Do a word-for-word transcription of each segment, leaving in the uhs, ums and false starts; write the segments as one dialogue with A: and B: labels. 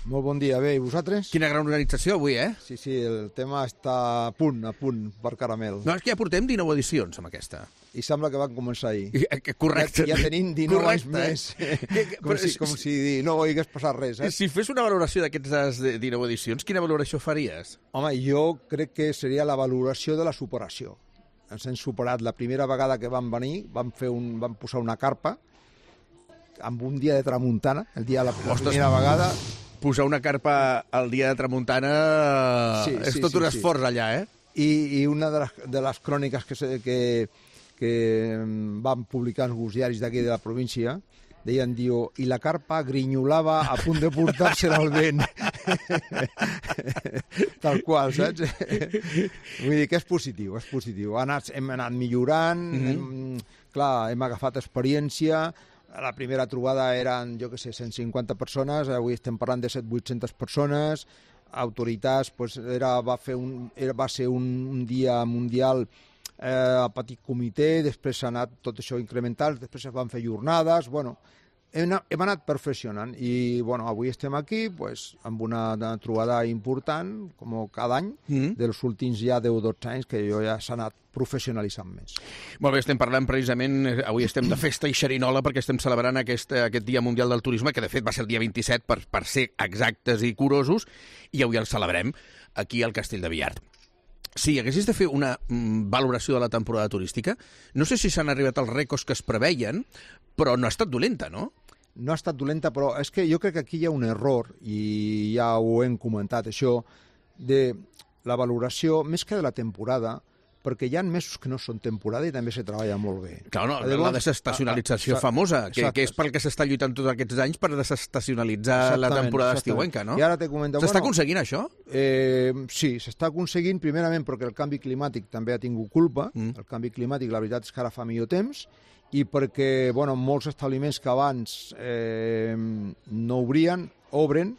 A: Molt bon dia. Bé, i vosaltres?
B: Quina gran organització avui, eh?
A: Sí, sí, el tema està a punt, a punt, per caramel.
B: No, és que ja portem dinou edicions amb aquesta.
A: I sembla que van començar ahir.
B: I, correcte.
A: Ja, ja tenim dinou anys
B: Correcte.
A: més. Com, si, com si no hagués passat res, eh?
B: Si fes una valoració d'aquestes dinou edicions, quina valoració faries?
A: Home, jo crec que seria la valoració de la superació. Ens hem superat la primera vegada que vam venir, vam, fer un, vam posar una carpa amb un dia de tramuntana, el dia de la, la primera vegada.
B: Posar una carpa al dia de tramuntana sí, és
A: sí,
B: tot
A: sí,
B: un esforç
A: sí.
B: allà, eh?
A: I, i una de les, de les cròniques que, que, que van publicar els diaris d'aquí de la província deien, diu, i la carpa grinyolava a punt de portar-se-la al vent. Tal qual, saps? Vull dir que és positiu, és positiu. Anat, hem anat millorant, mm-hmm. hem, clar, hem agafat experiència. La primera trobada eren, jo què sé, cent cinquanta persones, avui estem parlant de set cents vuit-centes persones, autoritats, pues, era, va, fer un, era, va ser un, un dia mundial eh, a petit comitè, després s'ha anat tot això incremental, després es van fer jornades, bueno, hem, hem anat perfeccionant i bueno, avui estem aquí pues, amb una, una trobada important, com cada any, mm-hmm. dels últims ja deu o dotze anys que jo ja s'ha anat professionalitzant més.
B: Molt bé, estem parlant precisament, avui estem de festa i xerinola perquè estem celebrant aquest, aquest Dia Mundial del Turisme, que de fet va ser el dia vint-i-set per, per ser exactes i curosos, i avui el celebrem aquí al Castell de Viart. Si haguessis de fer una mm, valoració de la temporada turística, no sé si s'han arribat als rècords que es preveien, però no ha estat dolenta, no?
A: No ha estat dolenta, però és que jo crec que aquí hi ha un error, i ja ho hem comentat, això, de la valoració, més que de la temporada, perquè hi ha mesos que no són temporada i també se treballa molt bé.
B: Clar, no, Llavors, la desestacionalització a, a, famosa, que, que és pel que s'està lluitant tots aquests anys per desestacionalitzar la temporada estiuenca, no?
A: I ara te comento,
B: s'està
A: bueno,
B: aconseguint això?
A: Eh, sí, s'està aconseguint, primerament perquè el canvi climàtic també ha tingut culpa, mm. el canvi climàtic, la veritat és que ara fa millor temps, i perquè, bueno, molts establiments que abans eh, no obrien, obren,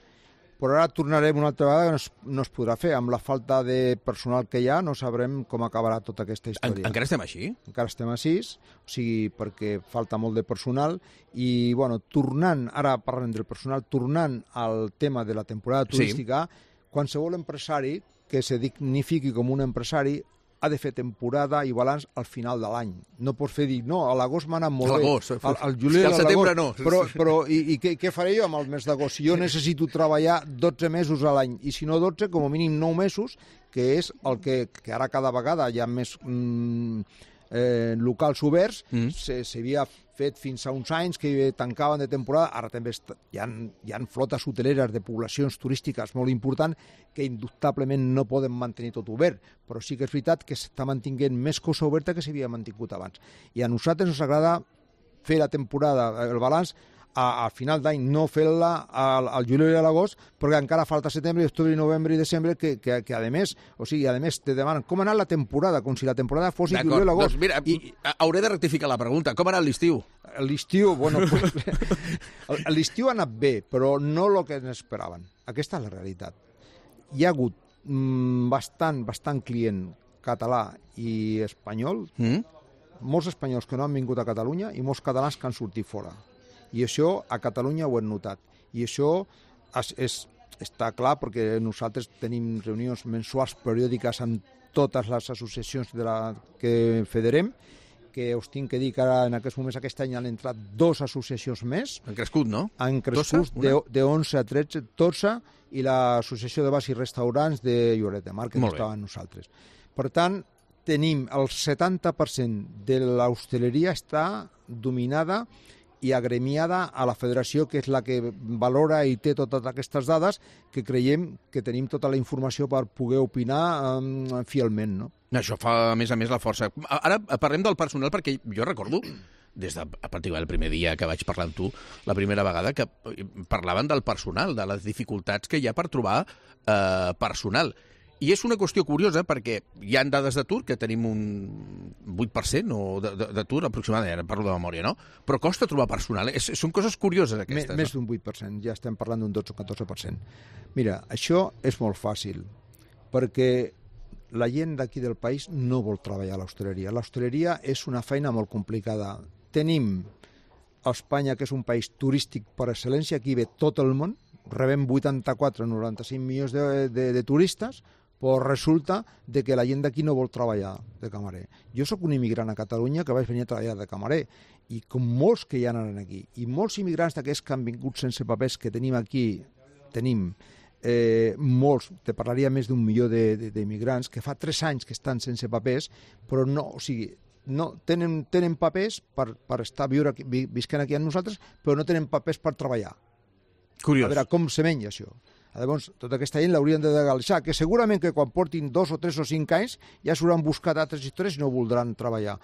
A: però ara tornarem una altra vegada que no es, no es podrà fer. Amb la falta de personal que hi ha no sabrem com acabarà tota aquesta història.
B: En, encara estem així?
A: Encara estem així, o sigui, perquè falta molt de personal i, bueno, tornant, ara parlem del personal, tornant al tema de la temporada turística, sí. Qualsevol empresari que se dignifiqui com un empresari ha de fer temporada i balanç al final de l'any. No pots fer dir, no, a l'agost m'ha anat molt bé. Al, al juliol,
B: al setembre no.
A: Però, però i, i què, què faré jo amb el mes d'agost? Si jo necessito treballar dotze mesos a l'any, i si no dotze, com a mínim nou mesos, que és el que, que ara cada vegada hi ha més mm, eh, locals oberts, mm. s'havia fet fins a uns anys que tancaven de temporada, ara també hi ha, hi ha flotes hoteleres de poblacions turístiques molt importants que indubtablement no poden mantenir tot obert, però sí que és veritat que s'està mantinguent més cosa oberta que s'havia mantingut abans. I a nosaltres ens agrada fer la temporada, el balanç, a, a final d'any, no fer-la al, al juliol i a l'agost, perquè encara falta setembre, octubre, novembre i desembre, que, que, que a més, o sigui, a més te demanen com ha anat la temporada, com si la temporada fos i juliol i agost.
B: Doncs mira, I, hauré de rectificar la pregunta. Com ha anat l'estiu?
A: L'estiu, bueno, pues, l'estiu ha anat bé, però no el que n'esperaven. Aquesta és la realitat. Hi ha hagut mm, bastant, bastant client català i espanyol, mm? molts espanyols que no han vingut a Catalunya i molts catalans que han sortit fora. I això a Catalunya ho hem notat. I això és, és, està clar perquè nosaltres tenim reunions mensuals periòdiques amb totes les associacions de la que federem, que us tinc que dir que ara en aquests moments aquest any han entrat dues associacions més.
B: Han crescut, no?
A: Han crescut de, de onze a tretze, dotze, i l'Associació de Bars i Restaurants de Lloret de Mar, que estava amb nosaltres. Per tant, tenim el setanta per cent de l'hostaleria està dominada i agremiada a la federació, que és la que valora i té totes aquestes dades, que creiem que tenim tota la informació per poder opinar um, fielment, no?
B: Això fa, a més a més, la força. Ara parlem del personal, perquè jo recordo, des de a partir del primer dia que vaig parlar amb tu, la primera vegada, que parlaven del personal, de les dificultats que hi ha per trobar eh, personal. I és una qüestió curiosa perquè hi ha dades d'atur, que tenim un vuit per cent d'atur aproximadament, ara parlo de memòria, no? Però costa trobar personal. És, són coses curioses aquestes.
A: Més, més d'un vuit per cent, ja estem parlant d'un dotze o catorze per cent. Mira, això és molt fàcil, perquè la gent d'aquí del país no vol treballar a l'hostaleria. L'hostaleria és una feina molt complicada. Tenim a Espanya, que és un país turístic per excel·lència, aquí ve tot el món, rebem vuitanta-quatre o noranta-cinc milions de, de, de turistes, però resulta de que la gent d'aquí no vol treballar de camarer. Jo sóc un immigrant a Catalunya que vaig venir a treballar de camarer, i com molts que hi ha aquí, i molts immigrants d'aquests que han vingut sense papers que tenim aquí, tenim eh, molts, te parlaria més d'un milió d'immigrants, que fa tres anys que estan sense papers, però no, o sigui, no, tenen, tenen papers per, per estar viure aquí, visquent aquí amb nosaltres, però no tenen papers per treballar.
B: Curiós.
A: A veure com se menja això. Llavors, tota aquesta gent l'haurien de legalitzar, que segurament que quan portin dos o tres o cinc anys ja s'hauran buscat altres històries i no voldran treballar.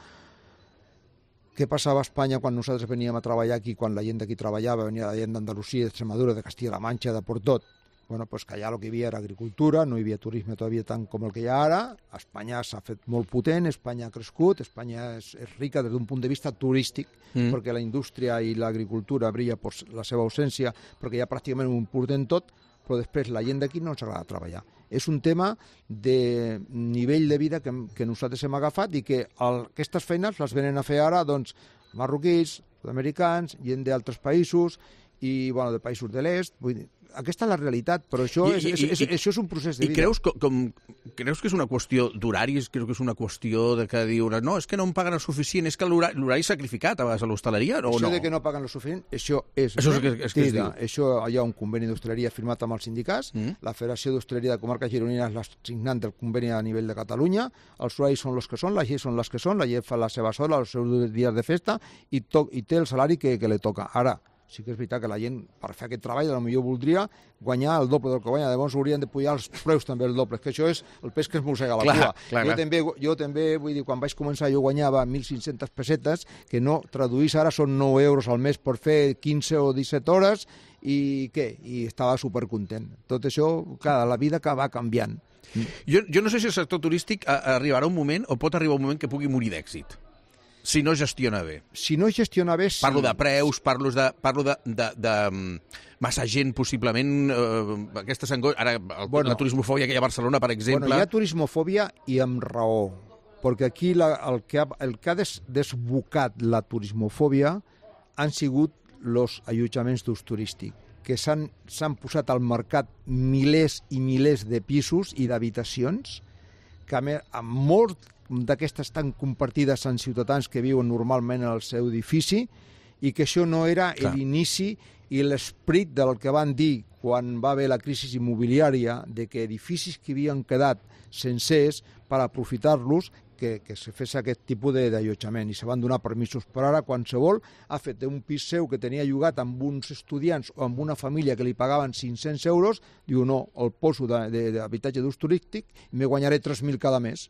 A: Què passava a Espanya quan nosaltres veníem a treballar aquí, quan la gent d'aquí treballava, venia la gent d'Andalusia, d'Extremadura, de Castilla-La Mancha, de per tot? Bueno, pues que allà el que hi havia era agricultura, no hi havia turisme todavía tant com el que hi ha ara. Espanya s'ha fet molt potent, Espanya ha crescut, Espanya és, és rica des d'un punt de vista turístic, mm. perquè la indústria i l'agricultura brilla per la seva ausència, perquè ja pràcticament ho importen tot, però després la gent d'aquí no ens agrada treballar. És un tema de nivell de vida que, que nosaltres hem agafat i que el, aquestes feines les venen a fer ara doncs, marroquins, sud-americans, gent d'altres països i bueno, de països de l'est. Vull dir, aquesta és la realitat, però això, I, és, i, és, i, això és un procés de vida.
B: I creus, com, creus que és una qüestió d'horaris? Creus que és una qüestió de que diuen no, és que no em paguen el suficient, és que l'horari sacrificat a vegades a l'hostaleria, o
A: això
B: no?
A: Això de que no paguen el suficient, això és...
B: Això és que, és que es diu.
A: Això hi ha un conveni d'hostaleria firmat amb els sindicats, mm. la Federació d'Hostaleria de Comarca Gironina és la signant del conveni a nivell de Catalunya, els horaris són els que són, les lleis són les que són, la llei fa les seves hores, els seus dies de festa, i, to, i té el salari que, que li toca. Ara, sí que és veritat que la gent, per fer aquest treball, potser voldria guanyar el doble del que guanya. Llavors haurien de pujar els preus també el doble, que això és el pes que es mossega la
B: clar,
A: cua.
B: Clar,
A: jo,
B: clar.
A: També, jo també, vull dir, quan vaig començar jo guanyava mil cinc-centes pessetes, que no traduís ara són nou euros al mes per fer quinze o disset hores, i què? I estava supercontent. Tot això, clar, la vida que va canviant.
B: Jo, jo no sé si el sector turístic arribarà un moment, o pot arribar un moment que pugui morir d'èxit. Si no gestiona bé.
A: Si no gestiona bé, sí.
B: Parlo de preus, parlo de, parlo de, de, de massa gent, possiblement, eh, aquesta sangoix... Ara, el, bueno, la turismofòbia que hi ha a Barcelona, per exemple...
A: Bueno, hi ha turismofòbia i amb raó, perquè aquí la, el, que ha, el que ha des, desbocat la turismofòbia han sigut els allotjaments d'ús turístic, que s'han posat al mercat milers i milers de pisos i d'habitacions, que a més, amb molt d'aquestes estan compartides amb ciutadans que viuen normalment al seu edifici i que això no era l'inici i l'esperit del que van dir quan va haver la crisi immobiliària de que edificis que havien quedat sencers per aprofitar-los que, que se fes aquest tipus d'allotjament i se van donar permisos. Per ara qualsevol ha fet un pis seu que tenia llogat amb uns estudiants o amb una família que li pagaven cinc-cents euros, diu no, el poso d'habitatge d'ús turístic i me guanyaré tres mil cada mes.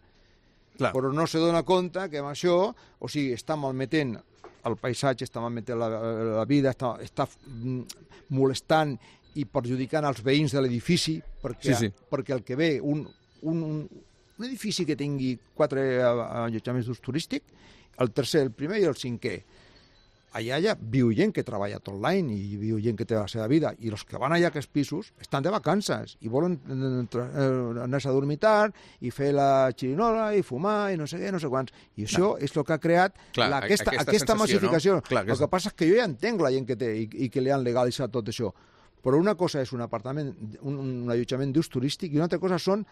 A: Clar. Però no se dona compte que amb això, o sigui, està malmetent el paisatge, està malmetent la, la vida, està, està molestant i perjudicant els veïns de l'edifici, perquè, sí, sí. perquè el que ve, un, un, un edifici que tingui quatre allotjaments d'ús turístic, el tercer, el primer i el cinquè, allà, allà viu gent que treballa tot l'any i viu gent que té la seva vida, i els que van allà a aquests pisos estan de vacances i volen anar-se a dormitar i fer la xirinola i fumar i no sé què, no sé quants. I això no. és el que ha creat Clar, la, aquesta, aquesta, aquesta massificació. No? Clar, el aquesta... que passa és que jo ja entenc la gent que té i, i que li han legalitzat tot això. Però una cosa és un apartament, un, un allotjament d'ús turístic i una altra cosa són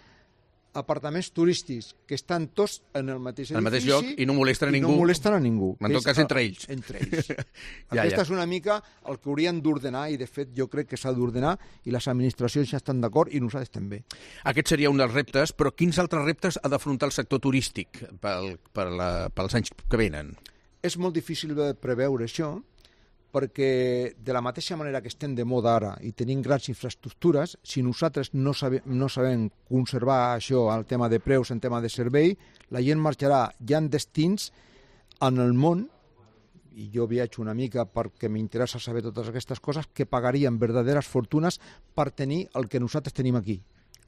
A: apartaments turístics que estan tots en el mateix edifici,
B: el mateix lloc i no molesten a ningú.
A: No molesten a ningú.
B: En tot cas, entre ells.
A: Entre ells. ja, Aquesta ja. és una mica el que haurien d'ordenar i, de fet, jo crec que s'ha d'ordenar i les administracions ja estan d'acord i nosaltres també.
B: Aquest seria un dels reptes, però quins altres reptes ha d'afrontar el sector turístic pel, per la, pels anys que venen?
A: És molt difícil de preveure això, perquè de la mateixa manera que estem de moda ara i tenim grans infraestructures, si nosaltres no sabem, no sabem conservar això, el tema de preus, el tema de servei, la gent marxarà. Hi ha destins en el món, i jo viatjo una mica perquè m'interessa saber totes aquestes coses, que pagarien verdaderes fortunes per tenir el que nosaltres tenim aquí,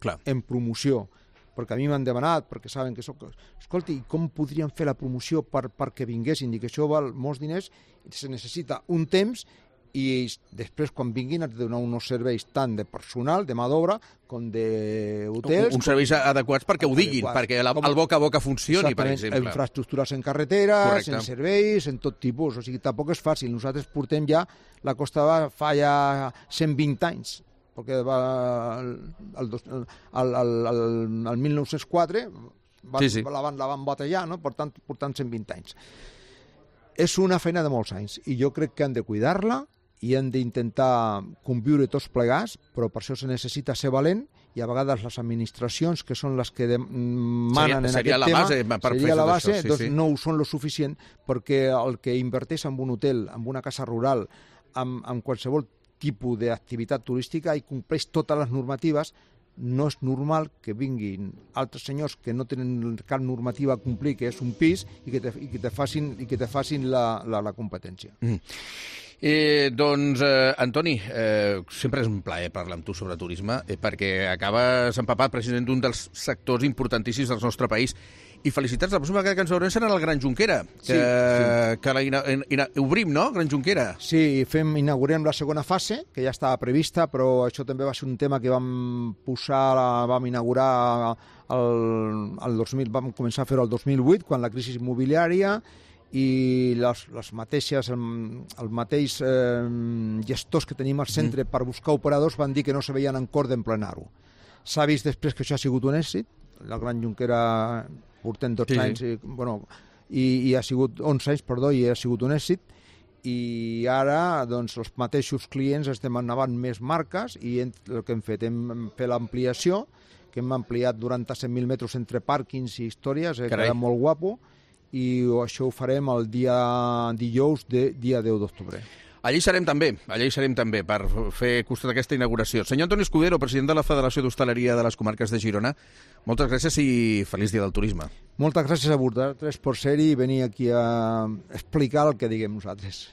B: Clar.
A: en promoció. Perquè a mi m'han demanat, perquè saben que soc... Escolti, com podríem fer la promoció per, perquè vinguessin? I que això val molts diners, i se necessita un temps, i després, quan vinguin, has de donar uns serveis tant de personal, de mà d'obra, com d'hotels...
B: Uns serveis adequats perquè ho diguin, adequats. perquè la, el boca a boca funcioni, per exemple.
A: Infraestructures en carreteres,
B: Correcte.
A: en serveis, en tot tipus. O sigui, tampoc és fàcil. Nosaltres portem ja... La Costa Brava fa ja cent vint anys perquè va, el, el, el, el, el, el mil nou-cents quatre van, sí, sí. La, van, la van batallar, no? Per tant, portant cent vint anys. És una feina de molts anys i jo crec que han de cuidar-la i han d'intentar conviure tots plegats, però per això se necessita ser valent i a vegades les administracions, que són les que de, manen
B: seria,
A: en aquest
B: seria
A: tema,
B: la base,
A: seria la base,
B: això, sí,
A: doncs
B: sí.
A: no ho són lo suficient, perquè el que inverteix en un hotel, en una casa rural, en, en qualsevol tipus d'activitat turística i compleix totes les normatives, no és normal que vinguin altres senyors que no tenen cap normativa a complir, que és un pis, i que te, i que te facin, i que te facin la, la, la competència.
B: Mm. Eh, doncs, eh, Antoni, eh, sempre és un plaer parlar amb tu sobre turisme, eh, perquè acabes empapat precisament d'un dels sectors importantíssims del nostre país. I felicitats, la pròxima vegada que ens veurem serà el Gran Junquera, que, sí, sí. que la ina, ina, obrim, no?, Gran Junquera.
A: Sí, fem, inaugurem la segona fase, que ja estava prevista, però això també va ser un tema que vam posar, vam inaugurar el, el dos mil, vam començar a fer-ho el dos mil vuit, quan la crisi immobiliària, i les, les mateixes, el, el mateix eh, gestors que tenim al centre mm. per buscar operadors van dir que no se veien en cor d'emplenar-ho. S'ha vist després que això ha sigut un èxit, la Gran Junquera portem dotze sí, anys, sí. I, bueno, i, i ha sigut onze anys, perdó, i ha sigut un èxit, i ara doncs, els mateixos clients es demanaven més marques i el que hem fet, hem fet l'ampliació, que hem ampliat noranta-set mil metres entre pàrquings i històries, eh, que era molt guapo, i això ho farem el dia dijous, de, dia deu d'octubre.
B: Allí serem també, allà hi serem també per fer costat d'aquesta inauguració. Senyor Antoni Escudero, president de la Federació d'Hostaleria de les Comarques de Girona, moltes gràcies i feliç dia del turisme.
A: Moltes gràcies a vosaltres per ser-hi i venir aquí a explicar el que diguem nosaltres.